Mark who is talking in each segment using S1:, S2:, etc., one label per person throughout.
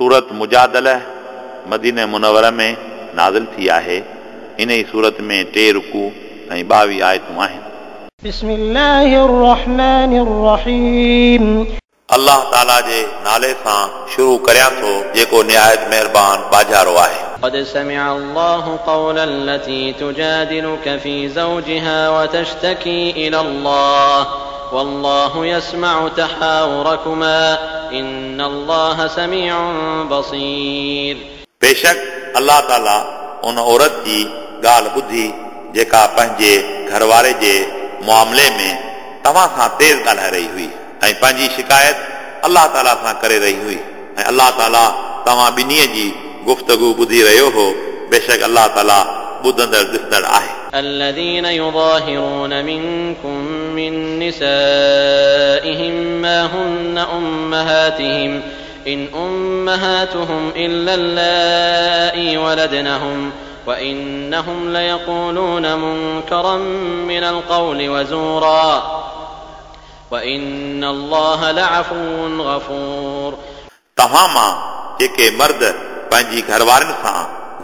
S1: सूरत मुजादला मदीने मुनवर में नाज़िल थी आहे। इन ई सूरत में 3 रुकू ऐं 22 आयतूं आहिनि।
S2: बिस्मिल्लाहिर रहमानिर रहीम।
S1: अल्लाह ताला जे नाले सां शुरू करियां थो जेको निहायत महिरबान बाजारो आहे।
S3: قد سمع الله قول التي تجادلك في زوجها وتشتكي إلى الله والله يسمع تحاوركما إن الله سميع بصير।
S1: बेशक अल्लाह ताला उन औरत जी ॻाल्हि ॿुधी जेका पंहिंजे घरवारे जे मामले में तव्हां सां तेज़ ॻाल्हाए रही हुई ऐं पंहिंजी शिकायत अल्लाह ताला सां करे रही हुई ऐं अल्लाह ताला तव्हां ॿिन्ही जी गुफ्तगू ॿुधी रहियो हो। बेशक अल्लाह ताला ॿुधंदड़ ॾिसंदड़ आहे।
S3: الذين يظاهرون منكم من نسائهم ما هن أمهاتهم إن أمهاتهم إلا اللائي ولدنهم وإنهم ليقولون منكرا من القول وزورا وإن الله لعفو غفور।
S1: तव्हां मां जेके मर्द पंहिंजी घरवारनि सां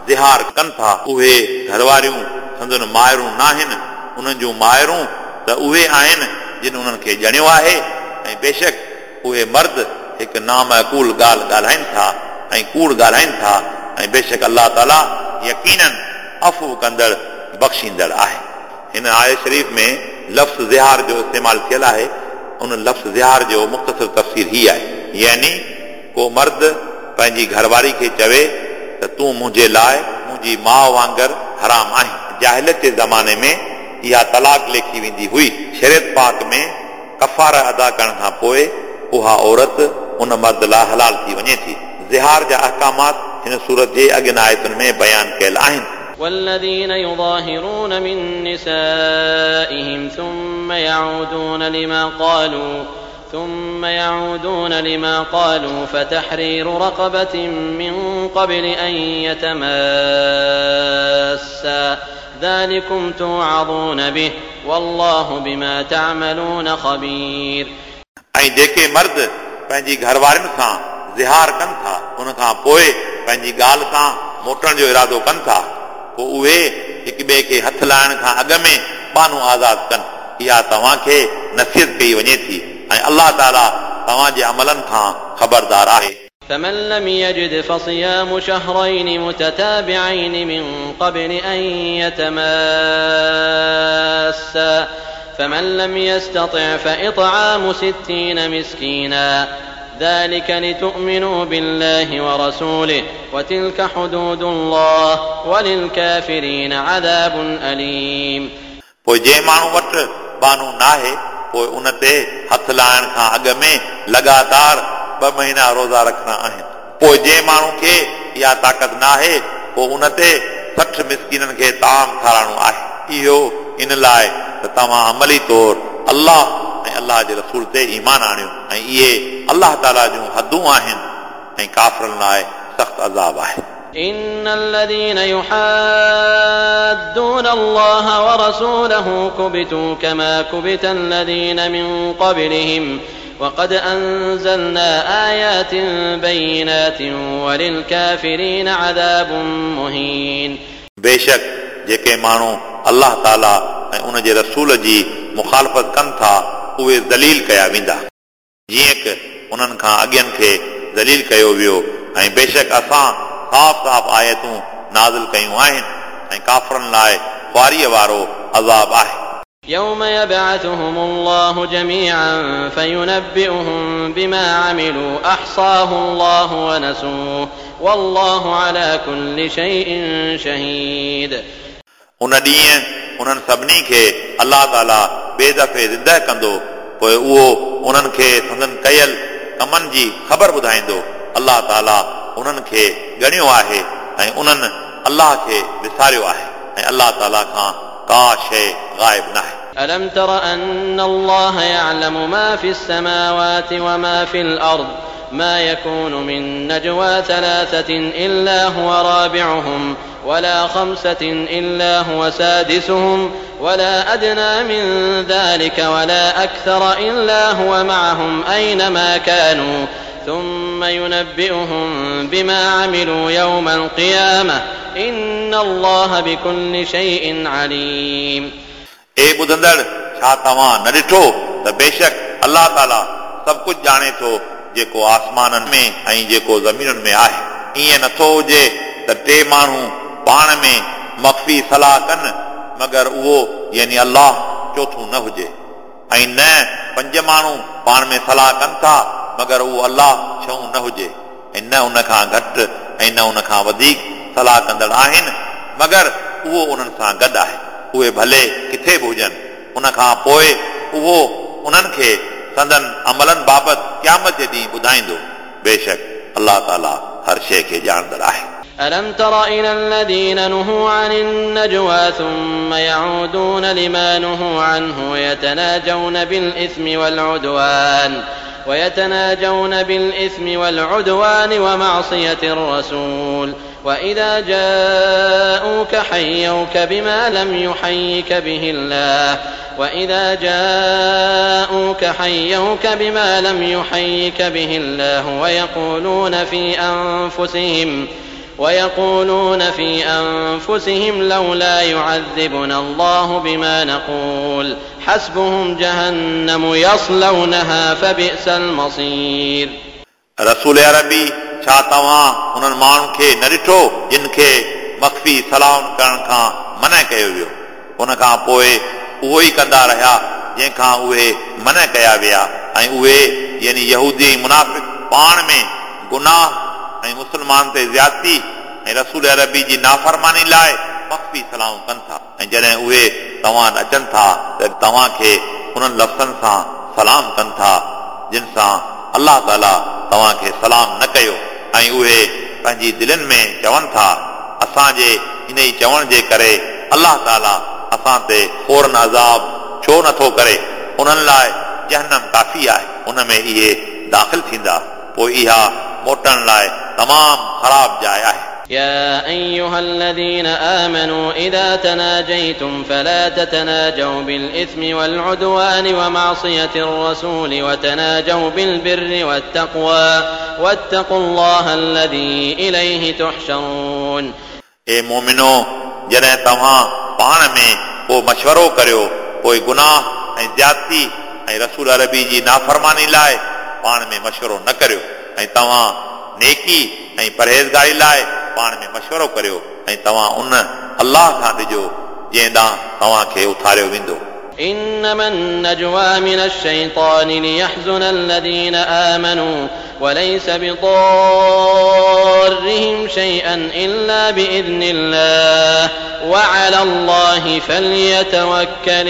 S1: ज़िहार कनि था उहे घरवारियूं संदन मायरूं नाहिनि, उन्हनि जूं मायरूं त उहे आहिनि जिन उन्हनि खे ॼणियो आहे। ऐं बेशक उहे मर्द हिकु नामाकूल ॻाल्हि ॻाल्हाइनि था ऐं कूड़ ॻाल्हाइनि था ऐं बेशक अल्लाह ताला यकीनन अफ़ू कंदड़ बख़्शींदड़ आहे। हिन आयत शरीफ़ में लफ़्ज़ ज़िहार जो इस्तेमालु थियल आहे, उन लफ़्ज़ ज़िहार जो मुख़्तसर तफ़सीर ही आहे। यानी को मर्द पंहिंजी घरवारी खे चवे त तूं मुंहिंजे लाइ मुंहिंजी माउ वांगुरु हराम आहीं। जाहिलियत जे ज़माने में इहा तलाक लेखी वेंदी हुई। शरीयत पाक में कफ़ारा अदा करण खां पोइ उहा औरत उन मर्द लाइ हलाल थी वञे थी। ज़िहार जा अहकामात हिन सूरत जे अॻियनि आयतुनि में बयान कयल आहिनि।
S3: والذين يظاهرون من نسائهم ثم يعودون لما قالوا فتحرير رقبة من قبل أن يتماسا ذلكم توعظون به والله بما تعملون خبير।
S1: ऐं जेके मर्द पंहिंजी घरवारनि सां ज़िहार कनि था उन खां पोइ पंहिंजी ॻाल्हि तां मोटण जो इरादो कनि था, पोइ उहे हिक ॿिए खे हथ लाइण खां अॻु में बानू आज़ादु कनि। इहा तव्हांखे नसीहत कई वञे थी ऐं अल्लाह ताला तव्हांजे अमलनि खां ख़बरदार आहे।
S3: فمن لم يجد فصيام شهرين متتابعين من قبل أن يتماسا فمن لم يستطع فإطعام 60 مسكينا ذلك لتؤمنوا بالله ورسوله وتلك حدود الله وللكافرين عذاب أليم।
S1: पोइ जंहिं माण्हू वटि बानू नाहे पोइ उन ते हथ लाइण खां अॻु में लगातार 2 महीना रोज़ा रखणा आहिनि। पोइ जंहिं माण्हू खे इहा ताक़त नाहे पोइ उन ते 60 मिसकीननि खे ताम खाराइणो आहे। इहो इन लाइ त तव्हां अमली तौर अल्लाह ऐं अल्लाह जे रसूल ते ईमान आणियो ऐं इहे अल्लाह ताला जूं हदूं आहिनि ऐं काफ़िरनि लाइ सख़्तु अज़ाब आहे।
S3: إن الذين يحادون الله ورسوله كبتوا كما كبت الذين من قبلهم وقد أنزلنا آيات بينات وللكافرين عذاب مهين।
S1: बेशक जेके माण्हू अल्लाह ताला ऐं उन जे रसूल जी मुखालफ़त कनि था उहे दलील कया वेंदा, जीअं की उन्हनि खां अॻियनि खे दलील कयो वियो। ऐं बेशक असां साफ़ साफ़ आयतूं नाज़िल कयूं आहिनि ऐं काफ़िरनि लाइ ख़्वारीअ वारो अज़ाब आहे।
S3: يوم يبعثهم الله جميعا فينبئهم بما عملوا أحصاه الله ونسوه والله على كل شيء شهيد।
S1: उन ॾींहुं उन्हनि सभिनी खे अल्लाह ताला ॿिए दफ़े ज़िंदा कंदो, पोइ उहो उन्हनि खे संदन कयल कमनि जी ख़बर ॿुधाईंदो। अल्लाह ताला उन्हनि खे ॻणियो आहे ऐं उन्हनि अल्लाह खे विसारियो आहे ऐं अल्लाह ताला खां का शइ ग़ाइब न आहे।
S3: ألم تر أن الله يعلم ما في السماوات وما في الأرض ما يكون من نجوى 3 إلا هو رابعهم ولا 5 إلا هو سادسهم ولا أدنى من ذلك ولا أكثر إلا هو معهم أينما كانوا ثم ينبئهم بما عملوا يوم القيامة إن الله بكل شيء عليم.
S1: ए ॿुधंदड़, छा तव्हां न ॾिठो त बेशक अलाह ताला सभु कुझु ॼाणे थो जेको आसमाननि में ऐं जेको ज़मीनुनि में आहे। ईअं नथो हुजे त टे माण्हू पाण में मख़फ़ी सलाह कनि, मगर उहो यानी अलाह चोथों न हुजे, ऐं न पंज माण्हू पाण में सलाह कनि था, मगर उहो अलाह छहों न हुजे, ऐं न उन खां घटि ऐं न उन खां वधीक सलाह कंदड़ आहिनि, मगर उहो उन्हनि सां गॾु आहे। उहे भले किथे बि हुजनि। उन खां पोइ उहो उन्हनि खे संदन अमलनि बाबति क़यामत जे ॾींहुं ॿुधाईंदो। बेशक अलाह ताला हर शइ खे ॼाणंदड़ आहे।
S3: ألم تر إلى الذين نهوا عن النجوى ثم يعودون لما نهوا عنه ويتناجون بالإثم والعدوان ومعصية الرسول وإذا جاءوك حيوك بما لم يحيك به الله وإذا جاءوك حيوك بما لم يحيك به الله ويقولون في أنفسهم لولا يعذبنا الله بما نقول حسبهم جهنم يصلونها فبئس المصير.
S1: रसूल अरबी, छा तव्हां उन्हनि माण्हुनि खे न ॾिठो जिन खे मख़फ़ी सलाहुनि करण खां मना कयो वियो? उन खां पोइ उहो ई कंदा रहिया जंहिंखां उहे मना कया विया, ऐं उहे यानी यहूदी ऐं मुनाफ़िक पाण में गुनाह ऐं मुस्लमान ते ज़्यादती ऐं रसूल अरबी जी नाफ़रमानी लाइ मख़फ़ी सलाहुं कनि था, ऐं जॾहिं उहे तव्हां वटि अचनि था त तव्हांखे उन्हनि लफ़्ज़नि सां सलाम कनि था जिन सां अलाह ताला तव्हांखे सलाम न कयो, ऐं उहे पंहिंजी दिलनि में चवनि था असांजे इन ई चवण जे करे अलाह ताला असां ते फ़ौरन अज़ाब छो नथो करे? उन्हनि लाइ जहन्नम काफ़ी आहे, उन में इहे दाख़िल थींदा, पोइ इहा मोटण लाइ तमामु ख़राब जाइ आहे।
S3: يا أيها الذين آمنوا إذا تناجيتم فلا تتناجوا بالإثم والعدوان ومعصية الرسول وتناجوا بالبر والتقوى واتقوا الله الذي إليه تحشرون.
S1: ए मोमिनो, जॾहिं तव्हां पाण में को मशवरो करियो, पोइ गुनाह ऐं ज़्यादती ऐं रसूल अरबी जी नाफ़रमानी लाइ पाण में मशवरो न करियो, ऐं तव्हां नेकी ऐं परहेज़गारी लाइ पाण में मशवरो करियो, ऐं तव्हां उन अलाह खां ॾिजो जंहिं ॾांहुं तव्हांखे उथारियो वेंदो।
S3: إنما النجوى من الشيطان ليحزن الذين آمنوا وليس بضارهم شيئا إلا بإذن الله وعلى الله فليتوكل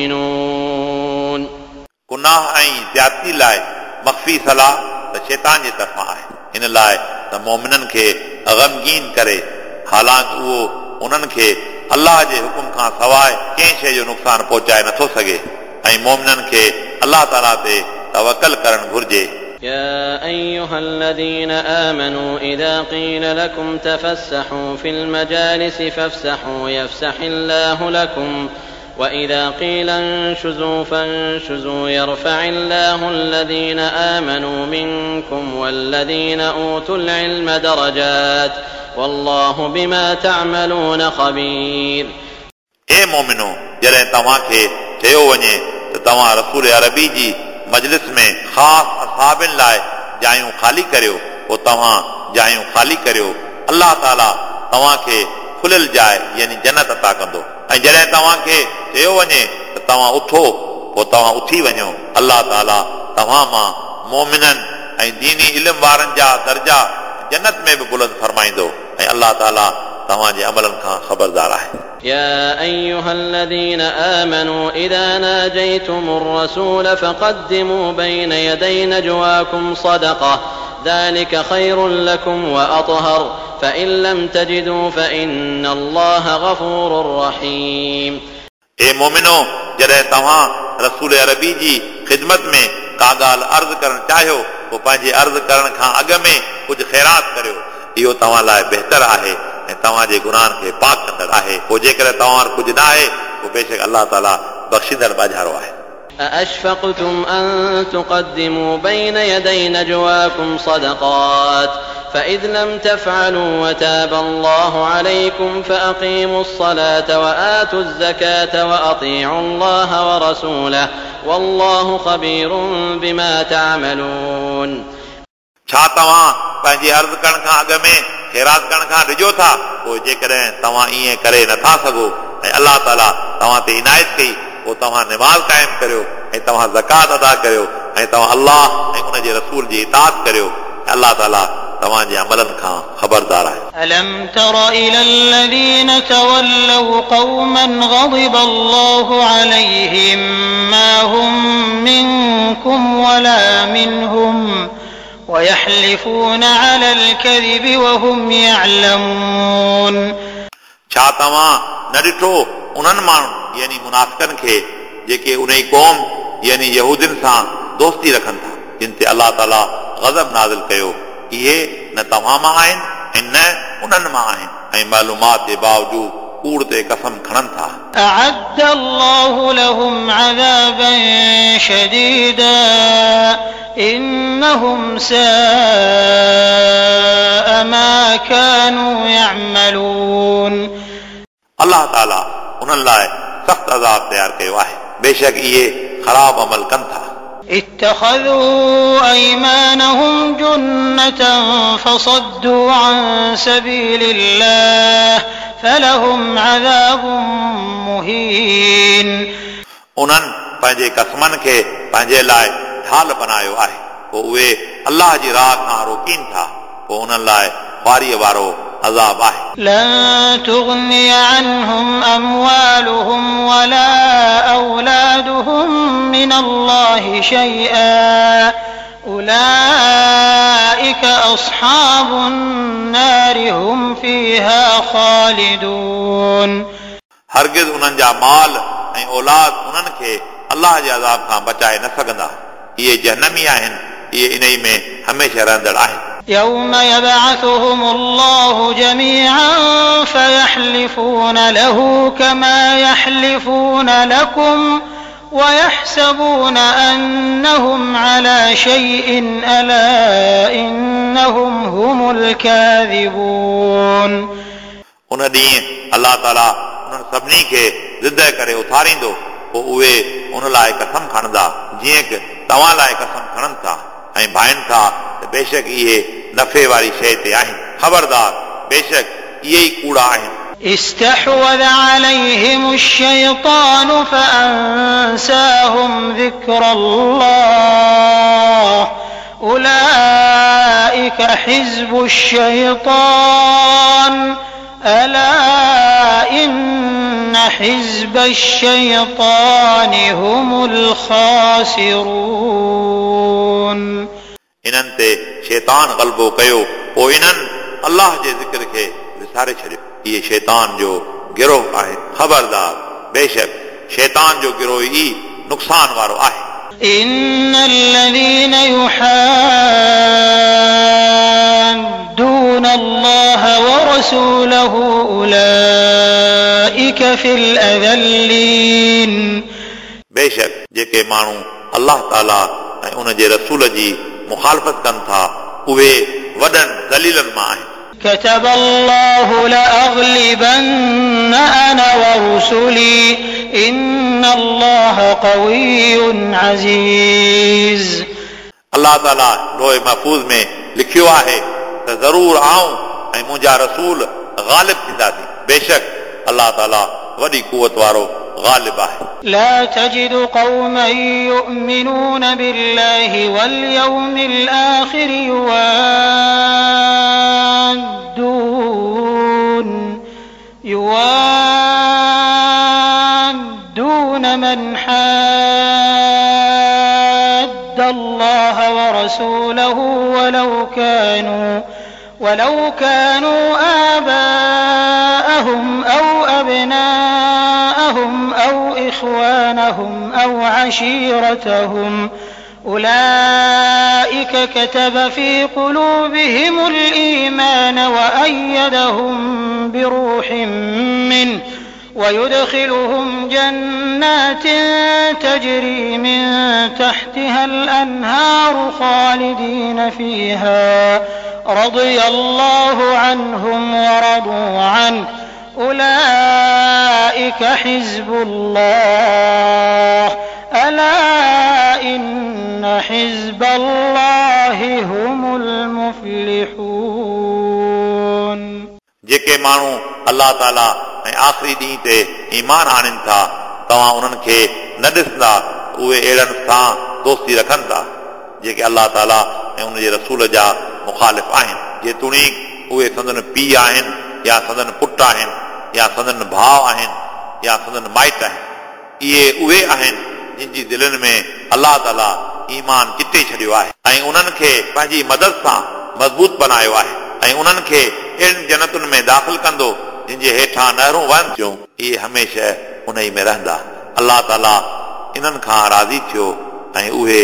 S3: المؤمنون.
S1: गुनाह ऐं ज़्यादती लाइ मख़फ़ी सलाह त शैतान जे तरफ़ां आहे, इन लाइ त मोमिननि खे ग़मगीन करे, हालांकि उहो उन्हनि खे अलाह जे हुकुम खां सवाइ कंहिं शइ जो नुक़सानु पहुचाए नथो सघे, ऐं मोमिननि खे अलाह ताला ते तवकल करणु घुर्जे।
S3: يا أيها الذين آمنوا إذا قيل لكم تفسحوا في المجالس فافسحوا يفسح الله لكم وإذا قيل انشزوا فانشزوا يرفع الله الذين آمنوا منكم والذين أوتوا العلم درجات والله بما تعملون خبير.
S1: ए मोमिनो, जॾहिं तव्हांखे चयो वञे त तव्हां रसूल अरबी जी मजलिस में ख़ासि असाबिनि लाइ जायूं ख़ाली करियो, पोइ तव्हां जायूं ख़ाली करियो, अलाह ताला तव्हांखे खुलियल जाइ यानी जन्नत अता कंदो। ऐं जॾहिं तव्हांखे चयो वञे त तव्हां उथो, पोइ तव्हां उथी वञो, अलाह ताला तव्हां मां मोमिननि ऐं दीनी इल्म वारनि जा दर्जा जन्नत में बि बुलंद फरमाईंदो, ऐं अलाह ताला तव्हांजे अमलनि खां ख़बरदार आहे।
S3: يا أيها الذين آمنوا إذا ناجيتم الرسول فقدموا بين يدي نجواكم صدقة ذلك خير لكم وأطهر فإن لم تجدوا فإن الله غفور رحيم.
S1: ए मोमिनो, जॾहिं तव्हां रसूल अरबी जी ख़िदमत में का ॻाल्हि अर्ज़ करणु चाहियो, पोइ पंहिंजे अर्ज़ करण खां अॻु में कुझु ख़ैरात करियो, इहो तव्हां लाइ बहितर आहे ऐं तव्हांजे गुनाहनि खे पाक कंदड़ आहे। पोइ जेकॾहिं तव्हां वटि कुझु न आहे, पोइ बेशक अलाह ताला बख़्शींदड़ बाजारो आहे।
S3: أأشفقتم أن تقدموا بين يدي نجواكم صدقات فإذ لم تفعلوا وتاب الله عليكم فأقيموا الصلاة وآتوا الزكاة وأطيعوا الله ورسوله والله خبير بما تعملون.
S1: छा तव्हां पंहिंजी अर्ज़ करण खां अॻु में ख़ैरात करण खां ॾिजो था? पोइ जेकॾहिं तव्हां ईअं करे नथा सघो ऐं अलाह ताला तव्हां ते इनायत कई, पोइ तव्हां निमाज़ क़ाइमु करियो ऐं तव्हां ज़कात अदा करियो ऐं तव्हां अलाह ऐं उन जे रसूल जी इताअत करियो। अलाह ताला तव्हांजे अमलनि खां ख़बरदार आहे।
S2: ألم تر إلى الذين تولوا قوما غضب الله عليهم ما هم منكم ولا منهم ويحلفون على الكذب وهم يعلمون.
S1: छा तव्हां न ॾिठो उन्हनि माण्हुनि यानी मुनाफ़िकनि खे जेके उन ई क़ौम यानी यहूदियुनि सां दोस्ती रखनि था जिन ते अलाह ताला ग़ज़ब नाज़िल कयो? इहे न तव्हां मां आहिनि ऐं न उन्हनि मां आहिनि ऐं मालूमात जे बावजूद कूड़ ते कसम खणनि था।
S2: أعد الله لهم عذابا شديدا إنهم ساء ما كانوا يعملون.
S1: अलाह ताला उन्हनि लाइ सख़्तु अज़ाब तयारु कयो आहे, बेशक इहे ख़राब अमल कनि था।
S2: اتخذوا أيمانهم جنة فصدوا عن سبيل الله فلهم عذاب مهين.
S1: उन्हनि पंहिंजे कसमनि खे पंहिंजे लाइ ढाल बनायो आहे, पोइ उहे अलाह जी राह खां रोकीनि था, पोइ उन्हनि लाइ ख़्वारीअ वारो अज़ाब आहे।
S2: لن تغني عنهم أموالهم ولا أولادهم من الله شيئا أولئك أصحاب النار هم فيها خالدون.
S1: हरगिज़ उन्हनि जा माल ऐं औलाद उन्हनि खे अलाह जे अज़ाब खां बचाए न सघंदा। इहे जहनमी आहिनि, इहे इन में हमेशह रहंदड़ आहिनि।
S2: يوم يبعثهم الله جميعا فيحلفون له كما يحلفون لكم ويحسبون أنهم على شيء ألا إنهم هم الكاذبون.
S1: उन ॾींहुं अलाह ताला उन्हनि सभिनी खे ज़िद करे उथारींदो, पोइ उहे उन लाइ कसम खणंदा जीअं की तव्हां लाइ कसम खणनि था ऐं भाइनि था त बेशक इहे नफ़े वारी शइ ते आहिनि। ख़बरदार, बेशक इहे ई कूड़ा आहिनि।
S2: استحوذ عليهم الشيطان فأنساهم ذكر الله أولئك حزب الشيطان ألا إن حزب الشيطان هم الخاسرون.
S1: इन्हनि ते शैतान ग़लबो कयो, पोइ इन्हनि अलाह जे ज़िक्र खे विसारे छॾियो। इहे शैतान जो गिरोह आहे। ख़बरदार, बेशक शैतान जो गिरोह ई नुक़सान वारो आहे।
S2: إن الذين يحادون الله ورسوله أولئك في الأذلين.
S1: बेशक जेके माण्हू अलाह ताला ऐं उन जे रसूल जी मुखालफ़त कनि था उहे वॾनि दलीलनि मां आहिनि।
S2: كتب الله لأغلبن أنا ورسلي إن الله قوي عزيز.
S1: अलाह ताला लोहे महफ़ूज़ में लिखियो आहे त ज़रूर आऊं ऐं मुंहिंजा रसूल ग़ालिब थींदासीं। बेशक अलाह ताला वॾी कुवत वारो ग़ालिब आहे।
S2: لا تجد قوما يؤمنون بالله واليوم الآخر يوادون من حاد الله ورسوله ولو كانوا آباءهم أو أبناءهم أو إخوانهم أو عشيرتهم أولئك كتب في قلوبهم الإيمان وأيدهم بروح منه ويدخلهم جنات تجري من تحتها الأنهار خالدين فيها رضي الله عنهم ورضوا عنه أولئك حزب الله ألا إن حزب الله هم المفلحون.
S1: जेके माण्हू अलाह ताला ऐं आख़िरी ॾींहं ते ईमान आणनि था, तव्हां उन्हनि खे न ॾिसंदा उहे अहिड़नि सां दोस्ती रखनि था जेके अलाह ताला ऐं उनजे रसूल जा मुखालिफ़ आहिनि। जेतोणीकि उहे संदन पीउ आहिनि या संदन पुट आहिनि या संदन भाउ आहिनि या संदन माइट आहिनि। इहे उहे आहिनि जिन जी दिलनि में अलाह ताला ईमान चिटे छॾियो आहे ऐं उन्हनि खे पंहिंजी मदद सां मज़बूत बनायो आहे ऐं उन्हनि खे अहिड़नि जन्नतुनि में दाख़िल कंदो जिन जे हेठां नहरूं वहनि थियूं, इहे हमेशह उन ई में रहंदा। अलाह ताला इन्हनि खां राज़ी थियो ऐं उहे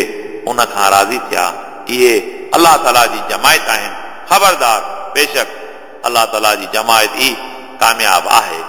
S1: उन खां राज़ी थिया। इहे अलाह ताला जी जमायत आहिनि। ख़बरदार, बेशक अलाह ताला जी जमायत ई कामयाब आहे।